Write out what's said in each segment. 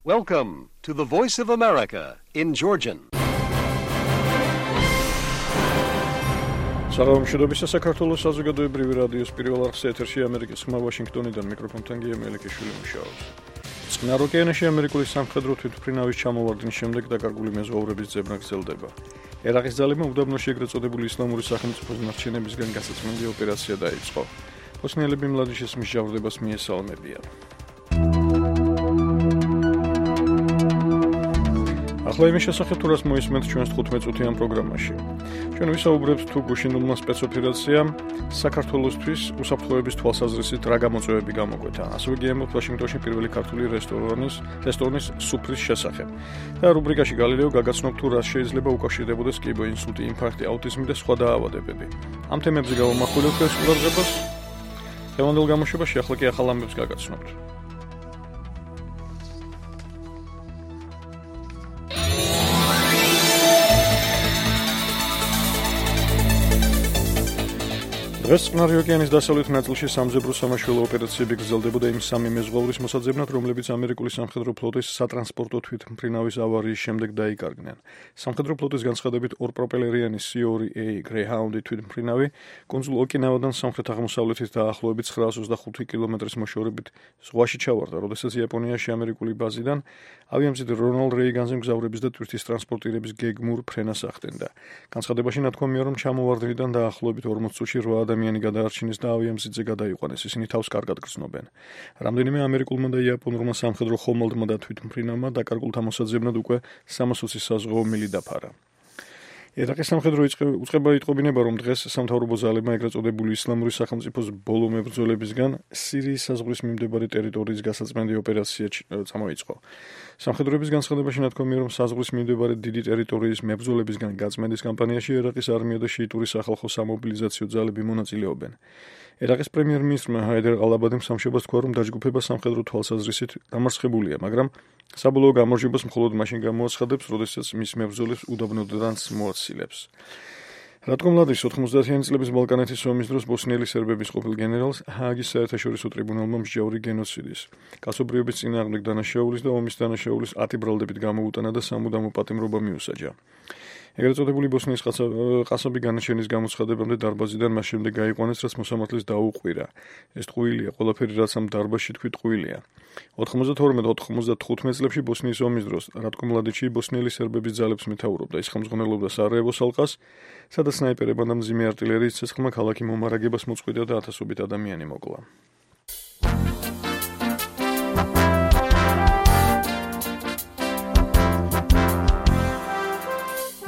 Welcome to the Voice of America in Georgian. საღამოშობისა საქართველოს საზოგადოებრივი რადიოს პირველ არხზე ეთერში ამერიკის ხმა ვაშინგტონიდან მიკროფონთან გია მელიქიშვილი მუშაობს. წყნარ ოკეანეში ამერიკული სამხედრო თვითმფრინავის ჩამოვარდნის შემდეგ დაკარგული მეზღვაურების ძებნა გრძელდება. ერაყის ძალებმა უდაბნოში ეგრეთ წოდებული ისლამური სახელმწიფოს ნარჩენებისგან გასაწმენდი ოპერაცია დაიწყო. ბოსნიელები მლადიშის მსჯავრდებას მიესალმებიან. ახლა იმის შესახებ თუ რას მოისმენთ ჩვენს 15-წუთიან პროგრამაში. ჩვენ ვისაუბრებთ თუ გუშინულმა სპეცოპერაციამ საქართველოსთვის უსაფრთხოების თვალსაზრისით რა გამოწვევები გამოგვეთა. ასევე გიემოთ ვაშინგტონში პირველი ქართული რესტორნის სუფრის შესახებ. და რუბრიკაში გალილეო გაგაცნობ თუ რას შეიძლება უკავშირდებოდეს კიბო ინსულტი, ინფარქტი, აუტიზმი და სხვა დაავადებები. ამ თემებზე გავამახვილებთ ეს ყურადღებას. დღევანდელ გამოშვებაში ახლა კი ახალ ამბებს გაგაცნობთ. დღეს წყნარი ოკეანის დასავლეთ ნაწილში სამძებრო სამაშველო ოპერაციები გრძელდებოდა იმ სამი მეზღვაურის მოსაძებნად, რომლებიც ამერიკული სამხედრო ფლოტის სატრანსპორტო თვითმფრინავის ავარიის შემდეგ დაიკარგნენ. სამხედრო ფლოტის განცხადებით ორპროპელერიანი C2A Greyhound თვითმფრინავი კუნძულ ოკინავადან სამხრეთ-აღმოსავლეთით დაახლოებით 925 კილომეტრის მოშორებით ზღვაში ჩავარდა, როდესაც იაპონიაში ამერიკული ბაზიდან ავიამზიდ რონალდ რეიგანზე მგზავრების და ტვირთის ტრანსპორტირების გეგმურ ფრენას ახდენდა. განცხადებაში ნათქვამია, რომ ჩამოვარდნიდან დაახლოებით 40 წუთში 8 ადამიანი გადაარჩინეს და ავიამზიდზე გადაიყვანეს. ისინი თავს კარგად გრძნობენ. რამდენიმე ამერიკულმა და იაპონურმა სამხედრო ხომალდმა და თვითმფრინავმა დაკარგულთა მოსაძებნად უკვე 320 საზღვაო მილი დაფარა. ერაყის სამხედრო უწყება იტყობინება, რომ დღეს სამთავრობო ძალებმა ეგრეთ წოდებული ისლამური სახელმწიფოს ბოლო მებრძოლებისგან სირიის საზღვრის მიმდებარე ტერიტორიის გასაწმენდი ოპერაცია წამოიწყო. სამხედროების განცხადებაში ნათქვამია, რომ საზღვრის მიმდებარე დიდი ტერიტორიის მებრძოლებისგან გაწმენდის კამპანიაში ერაყის არმია და შიიტური სახალხო სამობილიზაციო ძალები მონაწილეობენ. ერაყის პრემიერ-მინისტრმა ჰაიდარ ალ-აბადიმ სამშაბათს თქვა, რომ დაჯგუფება სამხედრო თვალსაზრისით დამარცხებულია, მაგრამ საბოლოო გამარჯვებას მხოლოდ მაშინ გამოაცხადებს, როდესაც მის მებრძოლებს უდაბნოდანაც მოაცილებს. რატკო მლადის 90-იანი წლების ბალკანეთის ომის დროს ბოსნიელი სერბების ყოფილ გენერალს ჰააგის საერთაშორისო ტრიბუნალმა მსჯავრი გენოციდის, კაცობრიობის წინააღმდეგ დანაშაულის და ომის დანაშაულის 10 ბრალდებით გამოუტანა და სამუდამო პატიმრობა მიუსაჯა. ეგრეთ წოდებული ბოსნიის ყასაბი განაჩენის გამოცხადებამდე დარბაზიდან მას შემდეგ გაიყვანეს, რაც მოსამართლის დაუყვირა. ეს ტყუილია, ყველაფერი რაც ამ დარბაზში თქვი ტყუილია. 92-95 წლებში ბოსნიის ომის დროს რატკო მლადიჩი ბოსნიელი სერბების ძალებს მეთაურობდა. ის ხელმძღვანელობდა სარაევოს ალყას, სადაც სნაიპერებმა და მძიმე არტილერიის ცეცხლმა ქალაქი მომარაგებას მოწყვიტა და ათასობით ადამიანი მოკლა.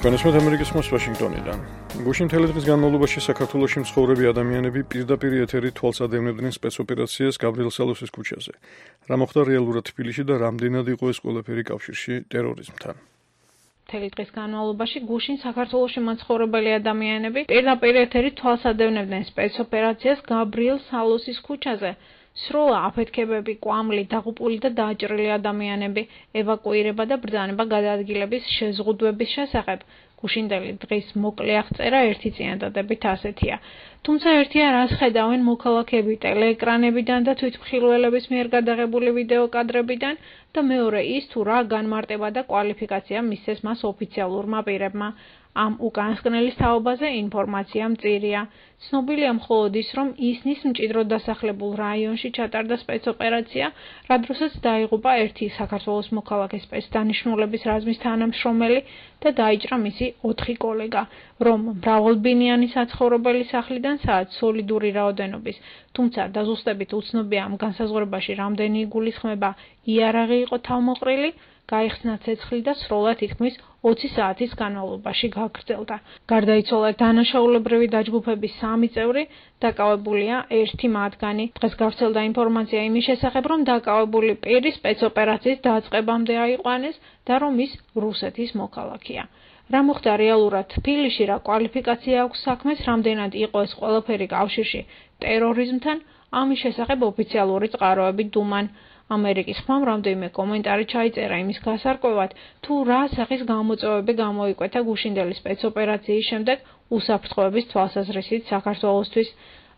განსხვავებით ამერიკის ხმას ვაშინგტონიდან. გუშინ მთელი დღის განმავლობაში საქართველოში მცხოვრები ადამიანები პირდაპირ ეთერით თვალსადევნებდნენ სპეცოპერაციას გაბრიელ სალოსის ქუჩაზე. რა მოხდა რეალურად თბილისში და რამდენად იყო ეს ყველაფერი კავშირში ტერორიზმთან? მთელი დღის განმავლობაში გუშინ საქართველოში მაცხოვრებელი ადამიანები პირდაპირ ეთერით თვალსადევნებდნენ სპეცოპერაციას გაბრიელ სალოსის ქუჩაზე. სროლა აფეთქებები, კვამლი, დაღუპული და დააჭრილი ადამიანები, ევაკუირება და ბრძანება გადაადგილების შეზღუდვების შესახებ. გუშინდელი დღის მოკლე აღწერა ერთი წინადადებით ასეთია. თუმცა ერთია, რას ხედავენ მოქალაქეები ტელეეკრანებიდან და თვითმხილველების მიერ გადაღებული ვიდეო კადრებიდან და მეორე ის თუ რა განმარტება და კვალიფიკაცია მისცეს მას ოფიციალურმა პირებმა. ამ უკანასკნელის თაობაზე ინფორმაცია მწირია. ცნობილია მხოლოდ ის, რომ ისნის მჭიდროდ დასახლებულ რაიონში ჩატარდა სპეცოპერაცია, რა დროსაც დაიღუპა ერთი საქართველოს მოქალაქე სპეცდანიშნულების რაზმის თანამშრომელი და დაიჭრა მისი 4 კოლეგა, რომ მრავალბინიანი საცხოვრებელი სახლიდან საათ სოლიდური რაოდენობის, თუმცა დაზუსტებით უცნობია ამ განსაზღვრებაში რამდენი იგულისხმება იარაღი იყო თავმოყრილი, გაიხსნა ცეცხლი და სროლა თითქმის 20 საათის განმავლობაში გაგრძელდა. გარდაიცვალა დანაშაულებრივი დაჯგუფების 3 წევრი, დაკავებულია ერთი მათგანი. დღეს გავრცელდა ინფორმაცია იმის შესახებ, რომ დაკავებული პირი სპეცოპერაციის დაწყებამდე აიყვანეს და რომ ის რუსეთის მოქალაქეა. რა მოხდა რეალურად თბილისში, რა კვალიფიკაცია აქვს საქმეს, რამდენად იყო ეს ყველაფერი კავშირში ტერორიზმთან, ამის შესახებ ოფიციალური წყაროები დუმან. ამერიკის ხმამ რამდენიმე კომენტარი ჩაიწერა იმის გასარკვევად, თუ რა სახის გამოწვევები გამოიკვეთა გუშინდელი სპეცოპერაციის შემდეგ უსაფრთხოების თვალსაზრისით საქართველოსთვის.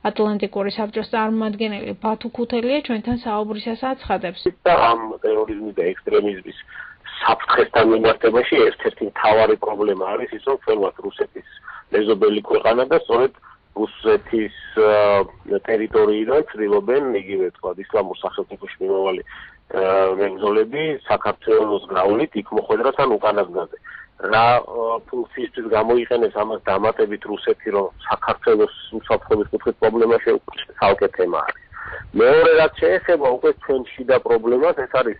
ატლანტიკური საბჭოს წარმომადგენელი ბათუ ქუთელია ჩვენთან საუბრისას აცხადებს. ამ ტერორიზმის და ექსტრემიზმის საფრთხესთან მიმართებაში ერთ-ერთი მთავარი პრობლემა არის ის, რომ ჩვენවත් რუსეთის მეზობელი ქვეყანა და სწორედ რუსეთის ტერიტორიიდან ცდილობენ იგივე თქვა ისლამურ სახელმწიფოში მიმავალი მებრძოლები საქართველოს გრავლით იქ მოხვედრას ან უკანასკნელზე. რა ფუნქციისთვის გამოიყენებს ამას დამატებით რუსეთი, რომ საქართველოს უსაფრთხოების კუთხით პრობლემა შეუქმნას, ცალკე თემა არის. მეორე რაც შეეხება უკვე ჩვენ შიდა პრობლემას, ეს არის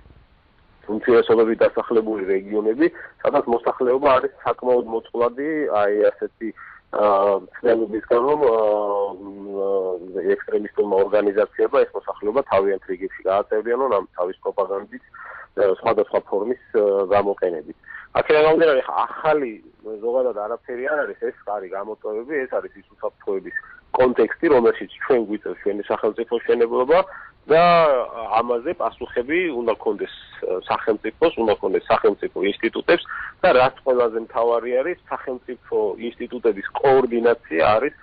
უმცირესობებით დასახლებული რეგიონები, სადაც მოსახლეობა არის საკმაოდ მოწყვლადი, აი ასეთი ცნებების გამო ექსტრემისტულმა ორგანიზაციებმა ეს მოსახლეობა თავიანთ რიგებში გააწევრიანონ ამ თავის პროპაგანდით სხვადასხვა ფორმის გამოყენებით. აქედან გამომდინარე, ახალი ზოგადად არაფერი არ არის, ეს არის გამოწვევები, ეს არის ის უსაფრთხოების კონტექსტი, რომელშიც ჩვენ გვიწევს ჩვენი სახელმწიფოს მშენებლობა და ამაზე პასუხები უნდა გქონდეს სახელმწიფოს, უნდა გქონდეს სახელმწიფო ინსტიტუტებს და რაც ყველაზე მთავარი არის, სახელმწიფო ინსტიტუტების კოორდინაცია არის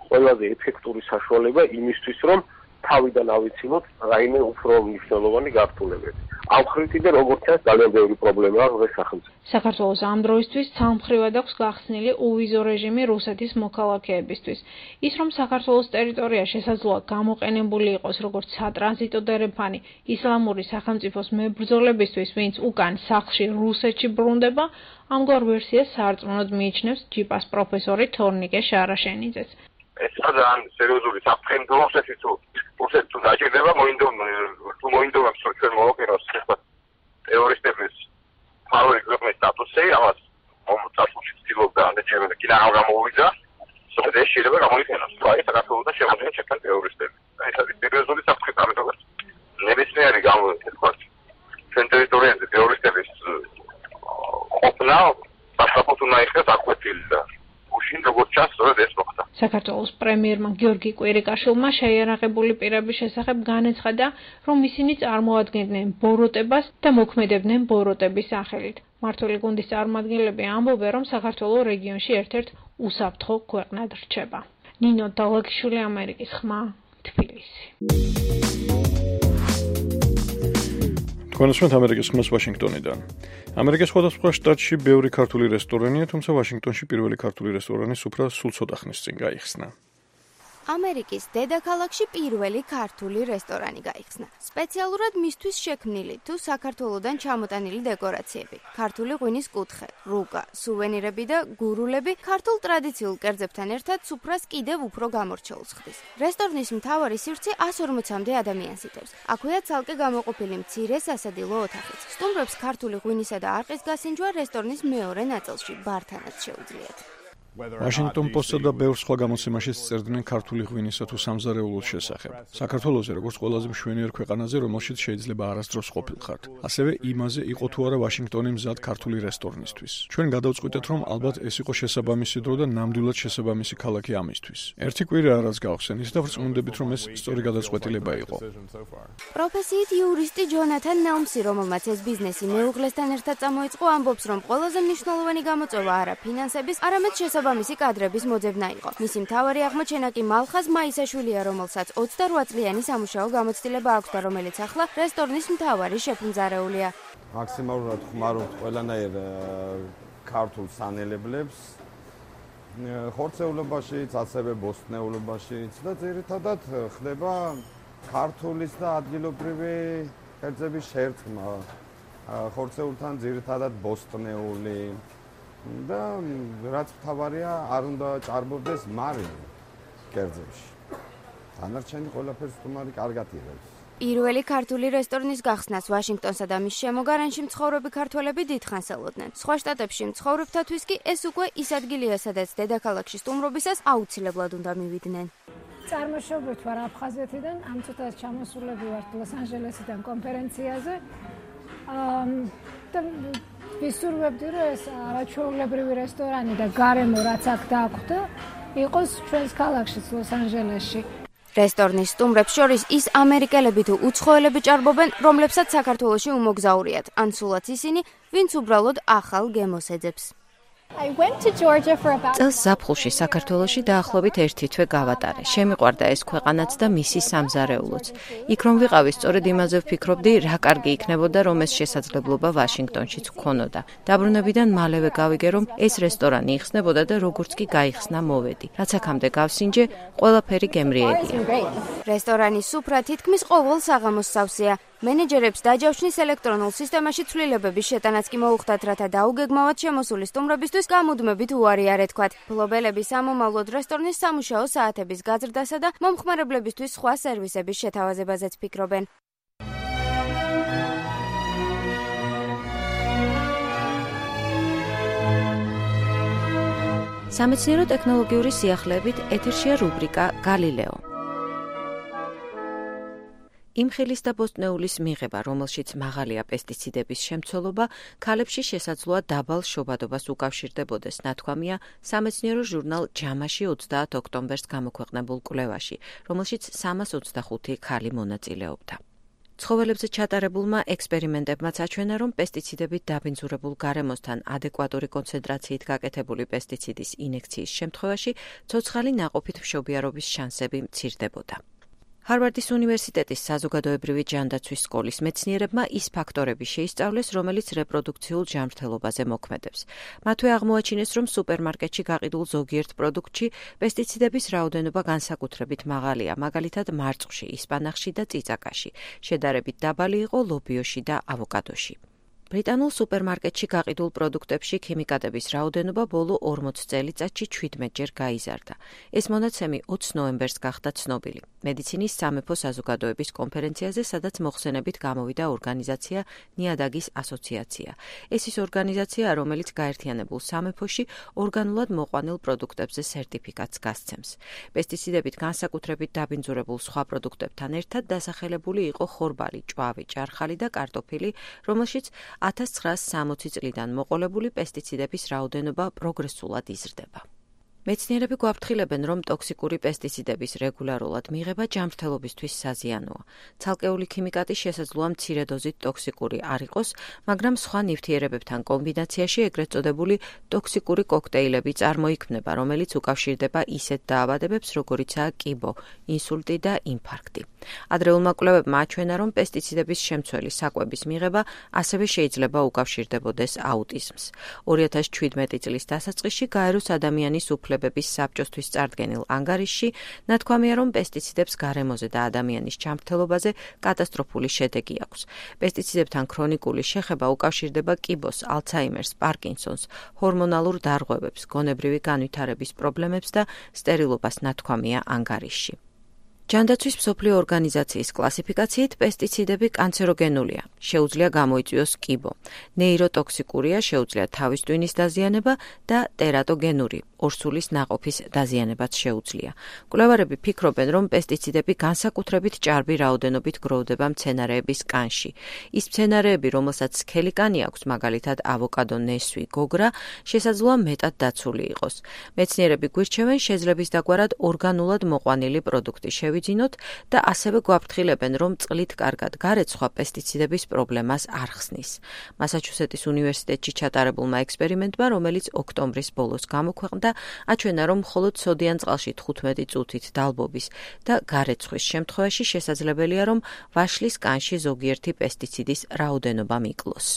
ყველაზე ეფექტური საშუალება იმისთვის, რომ თავიდან ავიცილოთ რაიმე უფრო მნიშვნელოვანი გართულებები. ავხრითიდან როგორც ჩანს ძალიან ბევრი პრობლემა აქვს სახელმწიფო. საქართველოს ამ დროისთვის ცალმხრივად აქვს გახსნილი უვიზო რეჟიმი რუსეთის მოქალაქეებისთვის. ის რომ საქართველოს ტერიტორია შესაძლოა გამოყენებული იყოს როგორც სატრანზიტო დერეფანი ისლამური სახელმწიფოს მებრძოლებისთვის, ვინც უკან სახლში რუსეთში ბრუნდება, ამგვარ ვერსიას სარწმუნოდ მიიჩნევს ჯიპას პროფესორი თორნიკე შარაშენიძეც. ეს ძალიან სერიოზული საფრთხე რუსეთის თუ დაჭირდება მოინდომებს ჩვენ მოვაკეროს ტერორისტების ფარული ქვეყნის სტატუსი, ამას წარსულში ცდილობდა ანდეჩემელი კი რა გამოვიდა, სწორედ ეს შეიძლება გამოიყენოს. აი საქართველოს და შემოგვიდგა ჩემთან ტერორისტები. ეს არის სერიოზული საფრთხე, ამიტომ ნებისმიერი ჩვენ ტერიტორიაზე ტერორისტების ყოფნა სასაფლაოდ უნდა იქნას აკვეთილი და უშინ როგორც ჩანს სწორედ ეს მოხდა. საქართველოს პრემიერმა გიორგი კვირიკაშვილმა შეიარაღებული პირების შესახებ განაცხადა, რომ ისინი წარმოადგენდნენ ბოროტებას და მოქმედებდნენ ბოროტების სახელით. მმართველი გუნდის წარმომადგენლები ამბობენ, რომ საქართველო რეგიონში ერთ-ერთ უსაფრთხო ქვეყნად რჩება. ნინო დალაგიშვილი, ამერიკის ხმა, თბილისი. თქვენს ამერიკის ხმას ვაშინგტონიდან. ამერიკის სხვადასხვა შტატში ბევრი ქართული რესტორანია, თუმცა ვაშინგტონში პირველი ქართული რესტორანი სუფრა სულ ცოტა ხნის წინ გაიხსნა. ამერიკის დედაქალაქში პირველი ქართული რესტორანი გაიხსნა. სპეციალურად მისთვის შექმნილი თუ საქართველოდან ჩამოტანილი დეკორაციები, ქართული ღვინის კუთხე, რუკა, სუვენირები და გურულები ქართულ ტრადიციულ კერძებთან ერთად სუფრას კიდევ უფრო გამორჩეულს ხდის. რესტორნის მთავარი სივრცე 140-მდე ადამიანს იტევს. აქვეა ცალკე გამოყოფილი მცირე სასადილო ოთახიც. სტუმრებს ქართული ღვინისა და არყის გასინჯვა რესტორნის მეორე ნაწილში ბართანაც შეუძლიათ. Washington Post-ს და ბევრ სხვა გამოცემაში წერდნენ ქართული ღვინისა თუ სამზარეულოს შესახებ. საქართველოზე როგორც ყველაზე მშვენიერ ქვეყანაზე, რომელშიც შეიძლება არასდროს ყოფილიყართ. ასევე იმაზე იყო თუ არა ვაშინგტონი მზად ქართული რესტორნისთვის. ჩვენ გადავწყვიტეთ, რომ ალბათ ეს იყო შესაბამისი დრო და ნამდვილად შესაბამისი ქალაქი ამისთვის. ერთი კვირაა რაც გავხსენით და ვწმუნდებით, რომ ეს სწორი გადაწყვეტილება იყო. პროფესიით იურისტი ჯონათან ნელმსი, რომელმაც ეს ბიზნესი მეუღლესთან ერთად წამოიწყო, ამბობს, რომ ყველაზე მნიშვნელოვანი გამოწვევა არა ფინანსების, არამედ შესაბამისი კადრების მოძებნა იყო. მისი მთავარი აღმოჩენა კი მალხაზ მაისაშვილია, რომელსაც 28 წლიანი სამუშაო გამოცდილება აქვს და რომელიც ახლა რესტორნის მთავარი შეფმძარეულია. მაქსიმალურად ხმარობთ ყველანაირ ქართულ სანელებლებს, ხორცეულობაშიც, ასევე ბოსტნეულობაშიც და ძირითადად ხდება ქართულის და ადგილობრივი კერძების შერწყმა. ხორცეულთან ძირითადად ბოსტნეული და რაც მთავარია, არ უნდა ჭარბობდეს მარილი კერძებში. დანარჩენი ყველაფერს თუმარი კარგად იღებს. პირველი ქართული რესტორნის გახსნას ვაშინგტონსა და მის შემოგარენში მცხოვრები ქართველები დიდხანს ელოდნენ. სხვა შტატებში მცხოვრებთათვის კი ეს უკვე ის ადგილია, სადაც დედაქალაქში სტუმრობისას აუცილებლად უნდა მივიდნენ. წარმოშობით ვარ აფხაზეთიდან, ამ წუთას ჩამოსულები ვართ ლოს-ანჯელესიდან კონფერენციაზე. და ვისურვებდი, რომ ეს არაჩვეულებრივი რესტორანი და გარემო რაც აქ დაგვხვდა, იყოს ჩვენს ქალაქშიც ლოს-ანჯელესში. რესტორნის სტუმრებს შორის ის ამერიკელები თუ უცხოელები ჭარბობენ, რომლებსაც საქართველოში უმოგზაურიათ, ან სულაც ისინი, ვინც უბრალოდ ახალ გემოს ეძებს. წელს ზაფხულში საქართველოში დაახლოებით 1 თვე გავატარე. შემიყვარდა ეს ქვეყანაც და მისი სამზარეულოც. იქ რომ ვიყავი, სწორედ იმაზე ვფიქრობდი, რა კარგი იქნებოდა, რომ ეს შესაძლებლობა ვაშინგტონშიც ვქონოდა. დაბრუნებიდან მალევე გავიგე, რომ ეს რესტორანი იხსნებოდა და როგორც კი გაიხსნა მოვედი. რაც აქამდე გავსინჯე, ყველაფერი გემრიელია. რესტორანის სუფრა თითქმის ყოველ საღამოს სავსეა. მენეჯერებს დაჯავშნის ელექტრონულ სისტემაში ცვლილებების შეტანაც კი მოუხდათ, რათა დაუგეგმავად შემოსული სტუმრებისთვის გამუდმებით უარი არ ეთქვათ. მფლობელები სამომავლოდ რესტორნის სამუშაო საათების გაზრდასა და მომხმარებლებისთვის სხვა სერვისების შეთავაზებაზეც ფიქრობენ. სამეცნიერო ტექნოლოგიური სიახლეებით ეთერშია რუბრიკა გალილეო. იმხილის და ბოსტნეულის მიღება, რომელშიც მაღალია პესტიციდების შემცველობა, ქალებში შესაძლოა დაბალ შობადობას უკავშირდებოდეს, ნათქვამია სამეცნიერო ჟურნალ ჯამაში 30 ოქტომბერს გამოქვეყნებულ კვლევაში, რომელშიც 325 ქალი მონაწილეობდა. ცხოველებზე ჩატარებულმა ექსპერიმენტებმაც აჩვენა, რომ პესტიციდებით დაბინძურებულ გარემოსთან ადეკვატური კონცენტრაციით გაკეთებული პესტიციდის ინექციის შემთხვევაში ცოცხალი ნაყოფით მშობიარობის შანსები მცირდებოდა. ჰარვარდის უნივერსიტეტის საზოგადოებრივი ჯანდაცვის სკოლის მეცნიერებმა ის ფაქტორები შეისწავლეს, რომელიც რეპროდუქციულ ჯანმრთელობაზე მოქმედებს. მათვე აღმოაჩინეს, რომ სუპერმარკეტში გაყიდულ ზოგიერთ პროდუქტში პესტიციდების რაოდენობა განსაკუთრებით მაღალია, მაგალითად მარწყვში, ისპანახში და წიწაკაში. შედარებით დაბალი იყო ლობიოში და ავოკადოში. ბრიტანულ სუპერმარკეტში გაყიდულ პროდუქტებში ქიმიკატების რაოდენობა ბოლო 40 წელიწადში 17-ჯერ გაიზარდა. ეს მონაცემი 20 ნოემბერს გახდა ცნობილი. მედიცინის სამეფო საზოგადოების კონფერენციაზე, სადაც მოხსენებით გამოვიდა ორგანიზაცია ნიადაგის ასოციაცია. ეს ის ორგანიზაცია, რომელიც გაერთიანებულ სამეფოში ორგანულად მოყვანილ პროდუქტებზე სერტიფიკატს გასცემს. პესტიციდებით განსაკუთრებით დაბინძურებულ სხვა პროდუქტებთან ერთად დასახელებული იყო ხორბალი, ჭვავი, ჭარხალი და კარტოფილი, რომელშიც 1960 წლიდან მოყოლებული პესტიციდების რაოდენობა პროგრესულად იზრდება. მეცნიერები გვაფრთხილებენ, რომ ტოქსიკური პესტიციდების რეგულარულად მიღება ჯანმრთელობისთვის საზიანოა. ცალკეული ქიმიკატი შესაძლოა მცირე დოზით ტოქსიკური არ იყოს, მაგრამ სხვა ნივთიერებებთან კომბინაციაში ეგრეთ წოდებული ტოქსიკური კოქტეილები წარმოიქმნება, რომელიც უკავშირდება ისეთ დაავადებებს, როგორიცაა კიბო, ინსულტი და ინფარქტი. ადრეულმა კვლევებმა აჩვენა, რომ პესტიციდების შემცველი საკვების მიღება ასევე შეიძლება უკავშირდებოდეს აუტიზმს. 2017 წლის დასაწყისში გაეროს ადამიანის უფლებების საბჭოსთვის წარდგენილ ანგარიშში ნათქვამია, რომ პესტიციდებს გარემოზე და ადამიანის ჯანმრთელობაზე კატასტროფული შედეგი აქვს. პესტიციდებთან ქრონიკული შეხება უკავშირდება კიბოს, ალცჰაიმერს, პარკინსონს, ჰორმონალურ დარღვევებს, გონებრივი განვითარების პრობლემებს და სტერილობას ნათქვამია ანგარიშში. ჯანდაცვის მსოფლიო ორგანიზაციის კლასიფიკაციით პესტიციდები კანცეროგენულია, შეუძლია გამოიწვიოს კიბო, ნეიროტოქსიკურია, შეუძლია თავის ტვინის დაზიანება და ტერატოგენური, ორსულის ნაყოფის დაზიანებაც შეუძლია. მკვლევარები ფიქრობენ, რომ პესტიციდები განსაკუთრებით ჭარბი რაოდენობით გროვდება მცენარეების კანში. ის მცენარეები, რომელსაც სქელი კანი აქვს, მაგალითად ავოკადო, ნესვი, გოგრა, შესაძლოა მეტად დაცული იყოს. მეცნიერები გვირჩევენ შეძლების დაგვარად ორგანულად მოყვანილი პროდუქტი ვიძინოთ და ასევე გვაფრთხილებენ, რომ წყლით კარგად გარეცხვა პესტიციდების პრობლემას არ ხსნის. მასაჩუსეტის უნივერსიტეტში ჩატარებულმა ექსპერიმენტმა, რომელიც ოქტომბრის ბოლოს გამოქვეყნდა, აჩვენა, რომ მხოლოდ სოდიან წყალში 15 წუთით დალბობის და გარეცხვის შემთხვევაში შესაძლებელია, რომ ვაშლის კანში ზოგიერთი პესტიციდის რაოდენობა მიკლოს.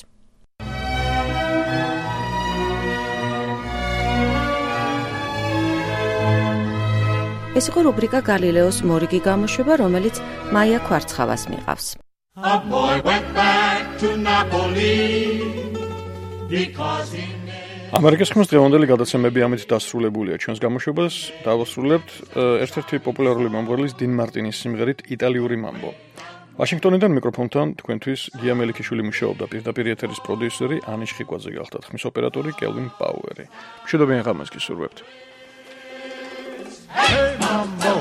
ეს იყო რუბრიკა გალილეოს მორიგი გამოშვება, რომელიც მაია ქვარცხავას მიყავს. ამერიკის ხმის დღევანდელი გადაცემები ამით დასრულებულია. ჩვენს გამოშვებას დავასრულებთ ერთ-ერთი პოპულარული მომღერლის 딘 მარტინის სიმღერით იტალიური მამბო. ვაშინგტონიდან მიკროფონთან თქვენთვის გია მელიქიშვილი მუშაობდა, პირდაპირ ეთერის პროდიუსერი ანიშ ხიკვაძე გახლდათ, ხმის ოპერატორი კელვინ პაუერი. მშვიდობიან ღამეს გისურვებთ. Hey mambo,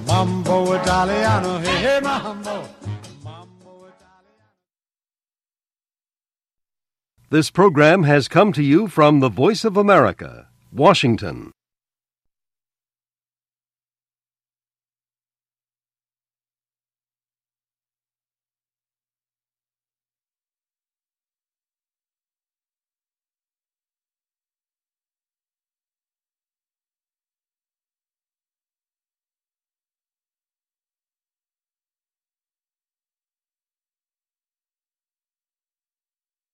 mambo italiano, hey hey mambo, mambo italiano. This program has come to you from the Voice of America, Washington.